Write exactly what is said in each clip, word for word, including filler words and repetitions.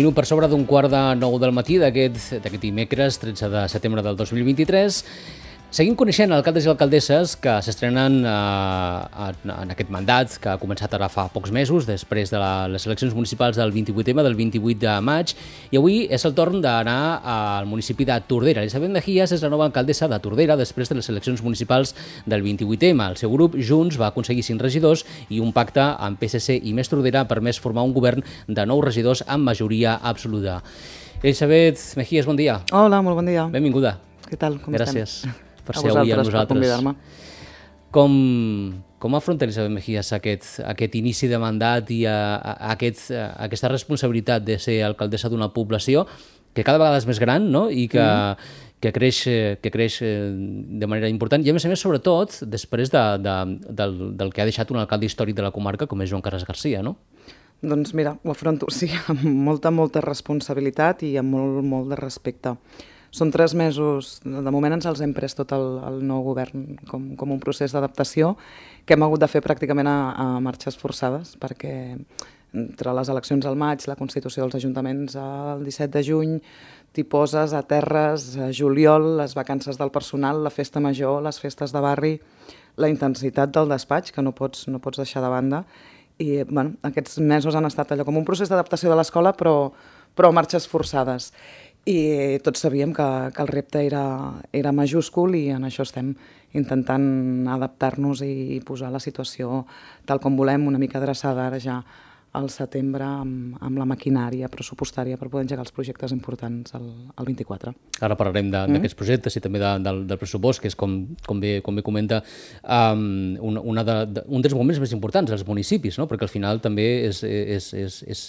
minut per sobre d'un quart de nou del matí d'aquest dimecres, tretze de setembre del dos mil vint-i-tres. Seguim coneixent alcaldes i alcaldesses que s'estrenen eh, en aquest mandat, que ha començat ara fa pocs mesos, després de la, les eleccions municipals del vint-i-vuit eme, del vint-i-vuit de maig, i avui és el torn d'anar al municipi de Tordera. Elisabet Mejías és la nova alcaldessa de Tordera després de les eleccions municipals del vint-i-vuit eme. El seu grup, Junts, va aconseguir cinc regidors i un pacte amb Pe esse ce i Més Tordera ha permès formar un govern de nou regidors amb majoria absoluta. Elisabet Mejías, bon dia. Hola, molt bon dia. Benvinguda. Què tal? Com Gràcies. estem? Per ser avui amb nosaltres. Com, com afronta Elisabet Mejías aquest, aquest inici de mandat i a, a, aquest, a aquesta responsabilitat de ser alcaldessa d'una població que cada vegada és més gran, no? I que, mm. que, creix, que creix de manera important i a més a més sobretot després de, de, del, del que ha deixat un alcalde històric de la comarca com és Joan Carles Garcia, no? Doncs mira, ho afronto, sí, amb molta, molta responsabilitat i amb molt, molt de respecte. Són tres mesos, de moment ens els hem pres tot el, el nou govern com, com un procés d'adaptació que hem hagut de fer pràcticament a, a marxes forçades perquè entre les eleccions al maig, la constitució dels ajuntaments el disset de juny, t'hi poses a terres, a juliol, les vacances del personal, la festa major, les festes de barri, la intensitat del despatx que no pots, no pots deixar de banda i bueno, aquests mesos han estat allò com un procés d'adaptació de l'escola però, però a marxes forçades. I tots sabíem que, que el repte era, era majúscul i en això estem intentant adaptar-nos i posar la situació tal com volem, una mica adreçada ara ja al setembre amb, amb la maquinària pressupostària per poder engegar els projectes importants al, al vint-i-quatre. Ara parlarem d'aquests mm. projectes i també de, del, del pressupost, que és, com, com, bé, com bé comenta, um, una, una de, de, un dels moments més importants dels municipis, no? Perquè al final també és, és, és, és,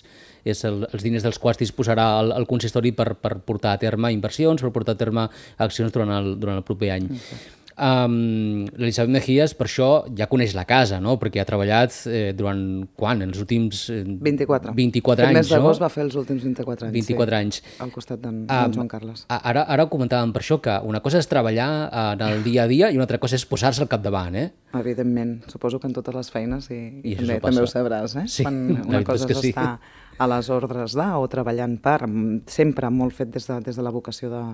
és el, els diners dels quals disposarà el, el consistori per, per portar a terme inversions, per portar a terme accions durant el, durant el proper any. Mm. Um, L'Elisabet Mejías per això ja coneix la casa, no? Perquè ha treballat eh, durant, quan? Els últims eh, vint-i-quatre. vint-i-quatre anys, no? El mes d'agost va fer els últims vint-i-quatre anys. vint-i-quatre sí, anys. Al costat d'en um, Joan Carles. Ara, ara ho comentàvem per això, que una cosa és treballar en el dia a dia i una altra cosa és posar-se al capdavant, eh? Evidentment, suposo que en totes les feines i, i, I també, també ho sabràs, eh? Sí, quan una cosa és, és sí. estar a les ordres de o treballant per, sempre molt fet des de, des de la vocació de,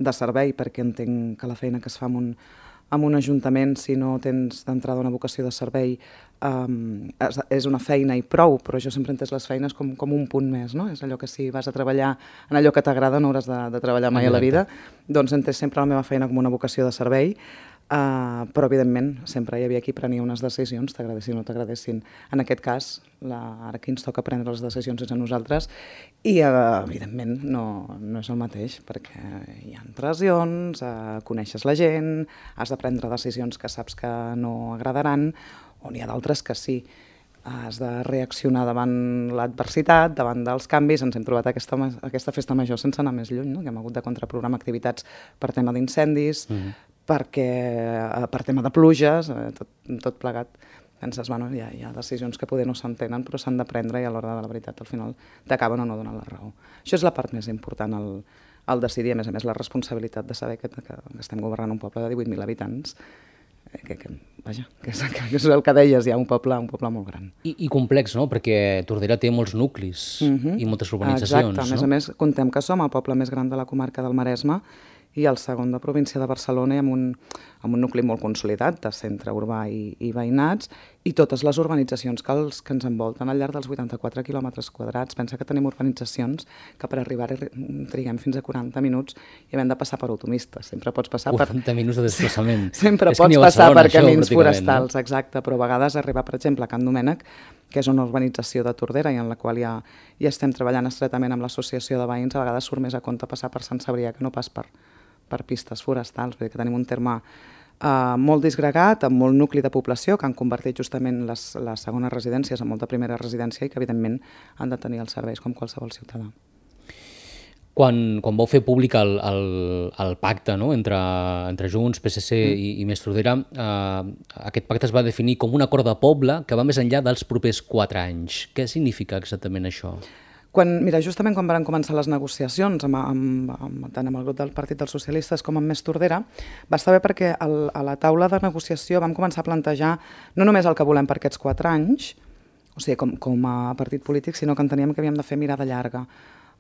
de servei, perquè entenc que la feina que es fa amb un, amb un ajuntament, si no tens d'entrada una vocació de servei, um, és, és una feina i prou, però jo sempre he entès les feines com, com un punt més, no? És allò que si vas a treballar en allò que t'agrada no hauràs de, de treballar mai a la vida, doncs he entès sempre la meva feina com una vocació de servei, Uh, però evidentment sempre hi havia qui prenia unes decisions, t'agradessin o no t'agradessin. En aquest cas, la, ara qui ens toca prendre les decisions és a nosaltres i uh, evidentment no, no és el mateix perquè hi ha pressions, uh, coneixes la gent, has de prendre decisions que saps que no agradaran o n'hi ha d'altres que sí. Has de reaccionar davant l'adversitat, davant dels canvis. Ens hem trobat aquesta, aquesta festa major sense anar més lluny, no? Que hem hagut de contraprogramar activitats per tema d'incendis, mm. perquè per tema de pluges, tot, tot plegat. Penses, bueno, hi ha, hi ha decisions que poder no s'entenen, però s'han de prendre i a l'hora de la veritat al final t'acaben o no donant la raó. Això és la part més important, el, el decidir, a més a més la responsabilitat de saber que, que estem governant un poble de divuit mil habitants, que, que, vaja, que és, que és el que deies, hi ha un poble, un poble molt gran. I, i complex, no? Perquè Tordera té molts nuclis uh-huh. i moltes urbanitzacions. Exacte, a més no? a més, contem que som el poble més gran de la comarca del Maresme i el segon de província de Barcelona i amb un, amb un nucli molt consolidat de centre urbà i, i veïnats i totes les urbanitzacions que, els, que ens envolten al llarg dels vuitanta-quatre quilòmetres quadrats. Pensa que tenim urbanitzacions que per arribar triguem fins a quaranta minuts i hem de passar per autopistes. Sempre pots passar per... quaranta minuts de desplaçament. Sempre pots passar per camins forestals, no? Exacte, però a vegades arribar, per exemple, a Can Domènec, que és una urbanització de Tordera i en la qual ja, ja estem treballant estretament amb l'associació de veïns, a vegades surt més a compte passar per Sant Cebrià que no pas per, per pistes forestals, vull dir que tenim un terme uh, molt disgregat, amb molt nucli de població, que han convertit justament les, les segones residències en molta primera residència i que evidentment han de tenir els serveis com qualsevol ciutadà. Quan, quan vau fer públic el, el, el pacte, no? entre, entre Junts, Pe esse ce mm. i, i Més Tordera, eh, aquest pacte es va definir com un acord de poble que va més enllà dels propers quatre anys. Què significa exactament això? Quan, mira, justament quan van començar les negociacions amb, amb, amb, tant amb el grup del Partit dels Socialistes com amb Més Tordera, va estar bé perquè el, a la taula de negociació vam començar a plantejar no només el que volem per aquests quatre anys, o sigui, com, com a partit polític, sinó que enteníem que havíem de fer mirada llarga.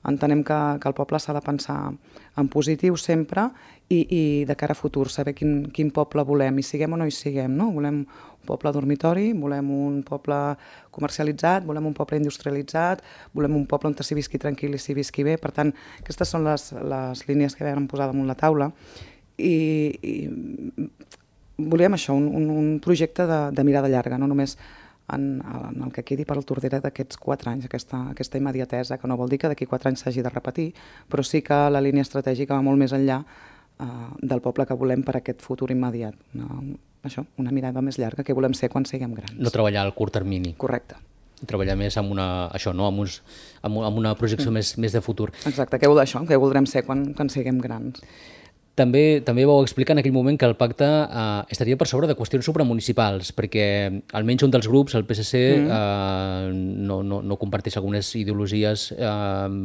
Entenem que, que el poble s'ha de pensar en positiu sempre i, i de cara a futur, saber quin, quin poble volem, i siguem o no hi siguem, no? Volem un poble dormitori, volem un poble comercialitzat, volem un poble industrialitzat, volem un poble on s'hi visqui tranquil i s'hi visqui bé. Per tant, aquestes són les, les línies que vam posar damunt la taula i, i volíem això, un, un, un projecte de, de mirada llarga, no només en, en el que quedi per al Tordera d'aquests quatre anys, aquesta, aquesta immediatesa, que no vol dir que d'aquí quatre anys s'hagi de repetir, però sí que la línia estratègica va molt més enllà eh, del poble que volem per a aquest futur immediat. No, això, una mirada més llarga, que volem ser quan siguem grans. No treballar al curt termini. Correcte. Treballar més amb una, això, no? amb, uns, amb, amb una projecció mm. més, més de futur. Exacte, què vol això? Què voldrem ser quan, quan siguem grans? També també vau explicar en aquell moment que el pacte eh, estaria per sobre de qüestions supramunicipals, perquè almenys un dels grups, el P S C, mm. eh, no, no, no comparteix algunes ideologies eh,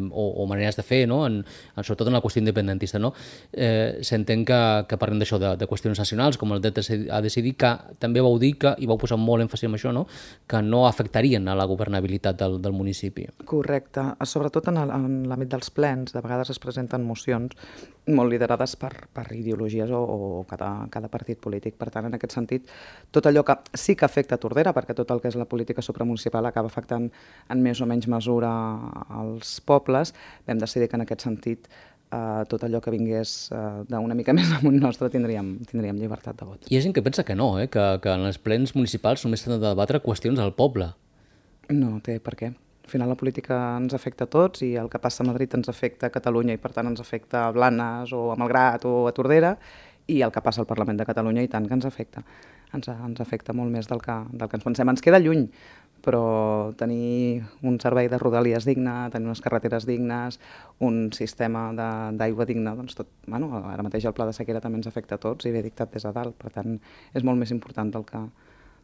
o, o maneres de fer, no? en, en, sobretot en la qüestió independentista. No? Eh, S'entén que, que parlem d'això, de, de qüestions nacionals, com el dret a decidir, que també vau dir que, i vau posar molt èmfasi en això, no? que no afectarien a la governabilitat del, del municipi. Correcte. Sobretot en l'àmbit dels plens, de vegades es presenten mocions molt liderades per per ideologies o, o cada, cada partit polític. Per tant, en aquest sentit, tot allò que sí que afecta Tordera, perquè tot el que és la política supramunicipal acaba afectant en més o menys mesura als pobles, vam decidir que en aquest sentit eh, tot allò que vingués eh, d'una mica més amunt nostre tindríem, tindríem llibertat de vot. Hi ha gent que pensa que no, eh? que, que en els plens municipals només s'han de debatre qüestions al poble. No té per què. Al final la política ens afecta a tots i el que passa a Madrid ens afecta a Catalunya i per tant ens afecta a Blanes o a Malgrat o a Tordera, i el que passa al Parlament de Catalunya i tant que ens afecta. Ens, ens afecta molt més del que, del que ens pensem. Ens queda lluny, però tenir un servei de rodalies digne, tenir unes carreteres dignes, un sistema d'aigua digne, doncs tot, bueno, ara mateix el pla de sequera també ens afecta a tots i ve dictat des de dalt, per tant és molt més important del que,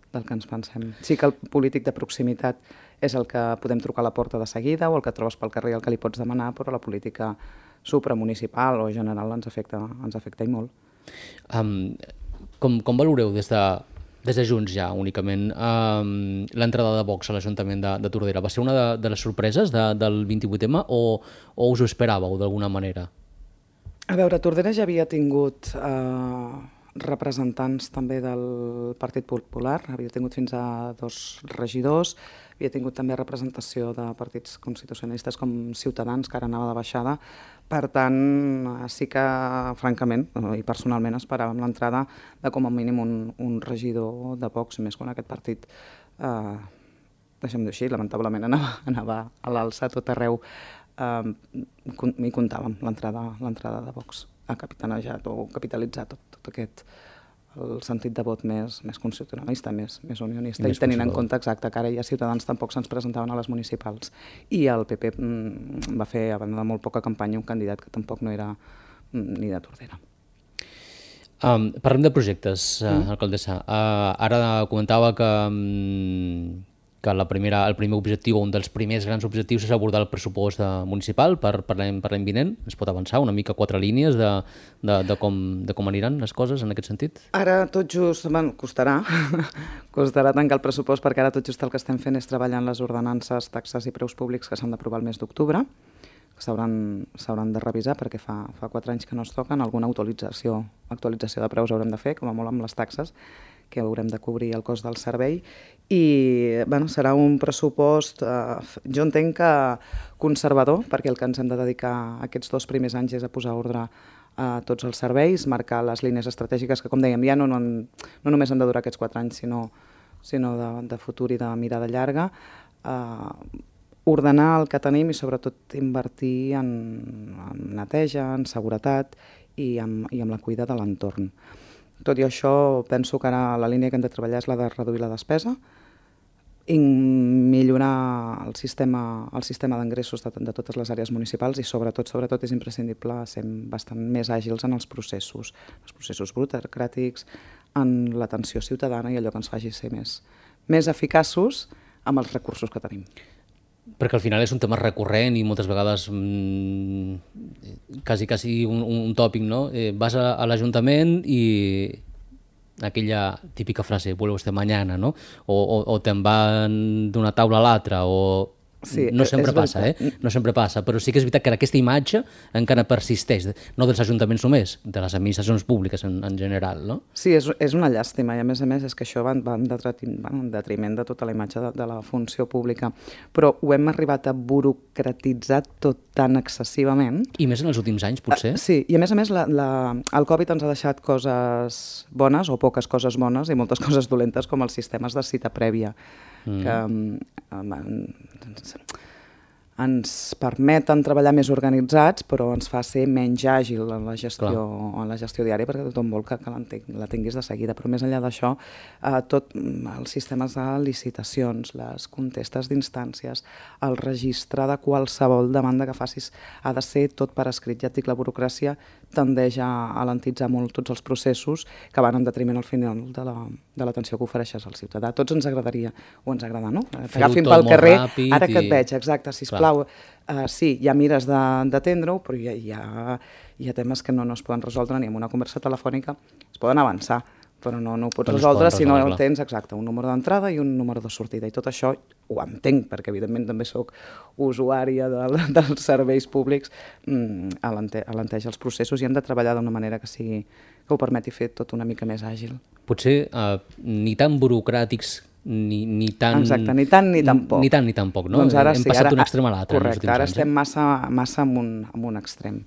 del que ens pensem. Sí que el polític de proximitat és el que podem trucar a la porta de seguida o el que trobes pel carrer el que li pots demanar, però la política supramunicipal o general ens afecta, ens afecta i molt. Um, com, com valoreu des de, des de Junts ja únicament um, l'entrada de Vox a l'Ajuntament de, de Tordera? Va ser una de, de les sorpreses de, del vint-i-vuit eme o, o us ho esperàveu d'alguna manera? A veure, Tordera ja havia tingut eh, representants també del Partit Popular, havia tingut fins a dos regidors, havia tingut també representació de partits constitucionalistes com Ciutadans, que ara anava de baixada. Per tant, sí que, francament, i personalment, esperàvem l'entrada de com a mínim un, un regidor de Vox, més quan aquest partit, eh, deixem-ho així, lamentablement anava, anava a l'alça a tot arreu. Eh, hi comptàvem l'entrada de Vox, ha capitanejat o capitalitzat tot, tot aquest el sentit de vot més, més constitucionalista, més, més unionista, i, i tenint en compte exacte que ara ja Ciutadans tampoc se'ns presentaven a les municipals. I el P P mm, va fer, a banda de molt poca campanya, un candidat que tampoc no era mm, ni de Tordera. Um, parlem de projectes, uh, mm. alcaldessa. Uh, ara comentava que, um, que la primera, el primer objectiu, un dels primers grans objectius és abordar el pressupost de, municipal per, per l'any vinent. Es pot avançar una mica quatre línies de, de, de, com, de com aniran les coses en aquest sentit? Ara tot just, bueno, costarà, costarà tancar el pressupost perquè ara tot just el que estem fent és treballar en les ordenances, taxes i preus públics que s'han d'aprovar el mes d'octubre, que s'hauran de revisar perquè fa, fa quatre anys que no es toquen, alguna actualització, actualització de preus haurem de fer, com a molt amb les taxes, que haurem de cobrir el cost del servei, i bueno, serà un pressupost, eh, jo entenc que conservador, perquè el que ens hem de dedicar aquests dos primers anys és a posar ordre a tots els serveis, marcar les línies estratègiques que, com dèiem, ja no, no, no només han de durar aquests quatre anys, sinó, sinó de, de futur i de mirada llarga, eh, ordenar el que tenim i sobretot invertir en, en neteja, en seguretat i en, i en la cuida de l'entorn. Tot i això, penso que ara la línia que hem de treballar és la de reduir la despesa i millorar el sistema, el sistema d'ingressos de, de totes les àrees municipals i sobretot, sobretot és imprescindible ser bastant més àgils en els processos, els processos burocràtics, en l'atenció ciutadana i allò que ens faci ser més, més eficaços amb els recursos que tenim. Perquè al final és un tema recurrent i moltes vegades mmm, quasi, quasi un, un tòpic, no? Eh, vas a, a l'Ajuntament i aquella típica frase, vuelve usted mañana, no? O, o, o te'n van d'una taula a l'altra, o Sí, no sempre és passa, eh? veritat. No sempre passa, però sí que és veritat que aquesta imatge encara persisteix, no dels ajuntaments només, de les administracions públiques en, en general, no? Sí, és, és una llàstima, i a més a més és que això va, va en, detriment, va en detriment de tota la imatge de, de la funció pública, però ho hem arribat a burocratitzar tot tan excessivament. I més en els últims anys, potser? Uh, sí, i a més a més la, la, el Covid ens ha deixat coses bones o poques coses bones i moltes coses dolentes, com els sistemes de cita prèvia, mm. que um, ens, ens permeten treballar més organitzats, però ens fa ser menys àgil en la gestió, en la gestió diària, perquè tothom vol que, que la tinguis de seguida. Però més enllà d'això, eh, tot els sistemes de licitacions, les contestes d'instàncies, el registre de qualsevol demanda que facis ha de ser tot per escrit. Ja et dic, la burocràcia tendeix a alentitzar molt tots els processos que van en detriment al final de la, de l'atenció que ofereixes al ciutadà. A tots ens agradaria, o ens agrada, no? T'agafin pel carrer, ara que et veig, exacte, sisplau. Uh, sí, hi ha mires d'atendre-ho, però hi ha, hi, ha, hi ha temes que no, no es poden resoldre ni amb una conversa telefònica, es poden avançar, però no, no ho pots resoldre si no tens, exacte, un número d'entrada i un número de sortida. I tot això ho entenc, perquè evidentment també sóc usuària de, dels serveis públics, mm, alente, alenteja els processos i hem de treballar d'una manera que sigui que ho permeti fer tot una mica més àgil. Potser uh, ni tan burocràtics ni, ni tan... Exacte, ni tant ni tan poc. Ni tant ni tan poc, no? Doncs ara Hem sí, passat ara, d'un extrem a l'altre. Correcte, ara anys, estem eh? massa, massa en, un, en un extrem.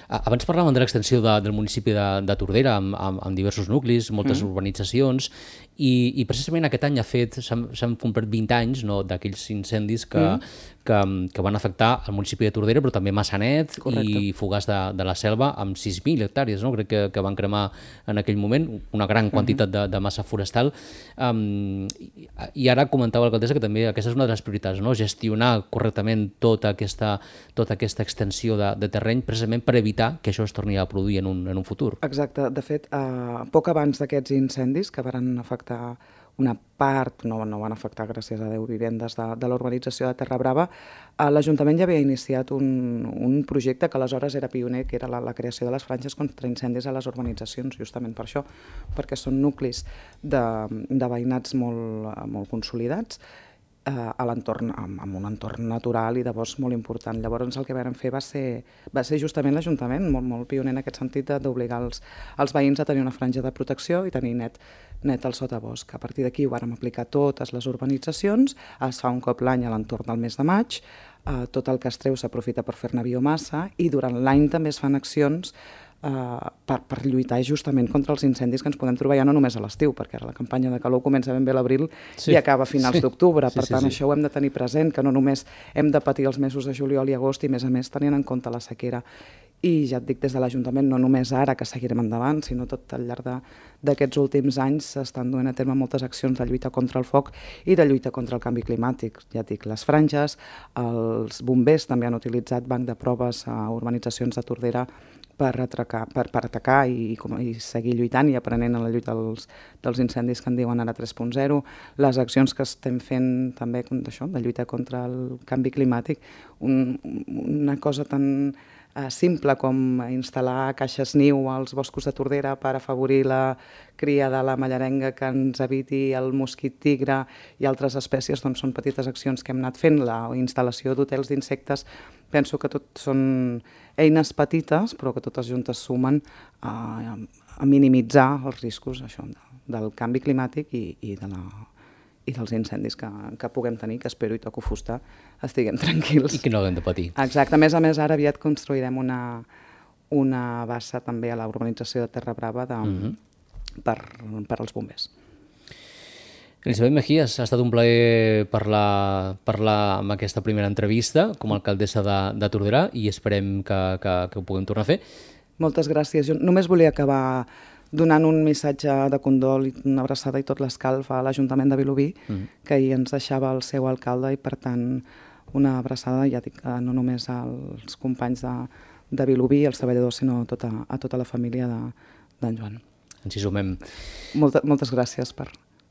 Abans parlàvem de l'extensió de, del municipi de, de Tordera amb, amb, amb diversos nuclis, moltes mm. urbanitzacions, i, i precisament aquest any ha fet, s'han complert vint anys, no, d'aquells incendis que, mm. que, que van afectar el municipi de Tordera, però també Massanet. Correcte. I Fogars de, de la Selva, amb sis mil hectàrees, no? Crec que, que van cremar en aquell moment una gran quantitat mm-hmm. de, de massa forestal. Um, i, I ara comentava l'alcaldessa que també aquesta és una de les prioritats, no? Gestionar correctament tota aquesta, tota aquesta extensió de, de terreny, precisament per evitar que això es torni a produir en un, en un futur. Exacte. De fet, eh, poc abans d'aquests incendis que van afectar una part, no, no van afectar, gràcies a Déu, vivendes de, de l'urbanització de Terra Brava, eh, l'Ajuntament ja havia iniciat un, un projecte que aleshores era pioner, que era la, la creació de les franges contra incendis a les urbanitzacions, justament per això, perquè són nuclis de, de veïnats molt, molt consolidats, a l'entorn, amb un entorn natural i de bosc molt important. Llavors el que vam fer va ser, va ser justament l'Ajuntament, molt, molt pioner en aquest sentit, d'obligar els, els veïns a tenir una franja de protecció i tenir net, net el sotabosc. A partir d'aquí ho vàrem aplicar a totes les urbanitzacions, es fa un cop l'any a l'entorn del mes de maig, eh, tot el que es treu s'aprofita per fer-ne biomassa i durant l'any també es fan accions Uh, per, per lluitar justament contra els incendis que ens podem trobar ja no només a l'estiu, perquè ara la campanya de calor comença ben bé a l'abril sí, i acaba a finals sí, d'octubre, per sí, tant sí, sí. Això ho hem de tenir present, que no només hem de patir els mesos de juliol i agost i a més a més tenint en compte la sequera. I ja et dic, des de l'Ajuntament, no només ara que seguirem endavant, sinó tot al llarg d'aquests últims anys s'estan duent a terme moltes accions de lluita contra el foc i de lluita contra el canvi climàtic. Ja et dic, les franges, els bombers també han utilitzat banc de proves a urbanitzacions de Tordera per, atracar, per, per atacar i, i seguir lluitant i aprenent en la lluita dels, dels incendis que en diuen ara tres punt zero, les accions que estem fent també d'això, de lluita contra el canvi climàtic, un, una cosa tan eh, simple com instal·lar caixes niu als boscos de Tordera per afavorir la cria de la mallarenga que ens eviti el mosquit tigre i altres espècies, doncs són petites accions que hem anat fent, la instal·lació d'hotels d'insectes. Penso que tot són eines petites, però que totes juntes sumen a, a minimitzar els riscos això, del canvi climàtic i, i, de la, i dels incendis que, que puguem tenir, que espero i toco fusta, estiguem tranquils. I que no haguem de patir. Exacte. A més a més, ara aviat construirem una, una bassa també a la urbanització de Terra Brava de, mm-hmm. per, per als bombers. Elisabet Mejías, ha estat un plaer parlar, parlar amb aquesta primera entrevista com a alcaldessa de, de Tordera i esperem que, que, que ho puguem tornar a fer. Moltes gràcies. Jo només volia acabar donant un missatge de condol i una abraçada i tot l'escalf a l'Ajuntament de Vilobí, mm. que ahir ens deixava el seu alcalde i, per tant, una abraçada, ja dic, no només als companys de, de Vilobí, als treballadors, sinó a tota, a tota la família d'en Joan. Ens hi sumem. Molta, moltes gràcies per...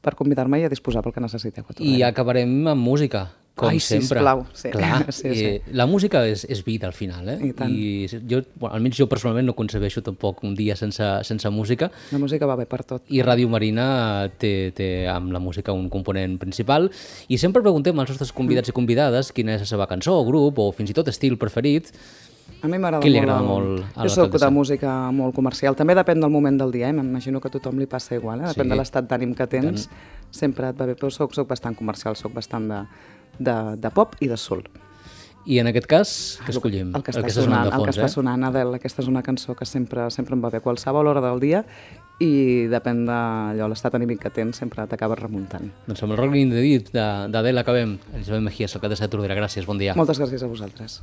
per convidar-me i a disposar pel que necessiteu. I acabarem amb música. Com Ai, sempre. sisplau. Sí. Clar, sí, sí. i la música és, és vida al final, eh? I tant. I jo, bueno, almenys jo personalment no concebeixo tampoc un dia sense, sense música. La música va bé per tot. I Ràdio Marina té, té amb la música un component principal. I sempre preguntem als nostres convidats i convidades quina és la seva cançó o grup o fins i tot estil preferit. A mi m'agrada Què li molt... agrada el- molt a Jo soc l'alcaldessa? de música molt comercial. També depèn del moment del dia, eh? M'imagino que a tothom li passa igual, eh? Depèn Sí. de l'estat d'ànim que tens. Sempre et va bé, però soc, soc bastant comercial, soc bastant de, de, de pop i de soul. I en aquest cas, què escollim? El que està, sonant, de el que fons, està eh? sonant, Adele, aquesta és una cançó que sempre, sempre em va bé a qualsevol hora del dia i depèn de allò, l'estat anímic que tens, sempre t'acabes remuntant. Doncs amb el Rockin' in the Deep d'Adele acabem. Elisabet Mejías, alcaldessa de Tordera. Gràcies, bon dia. Moltes gràcies a vosaltres.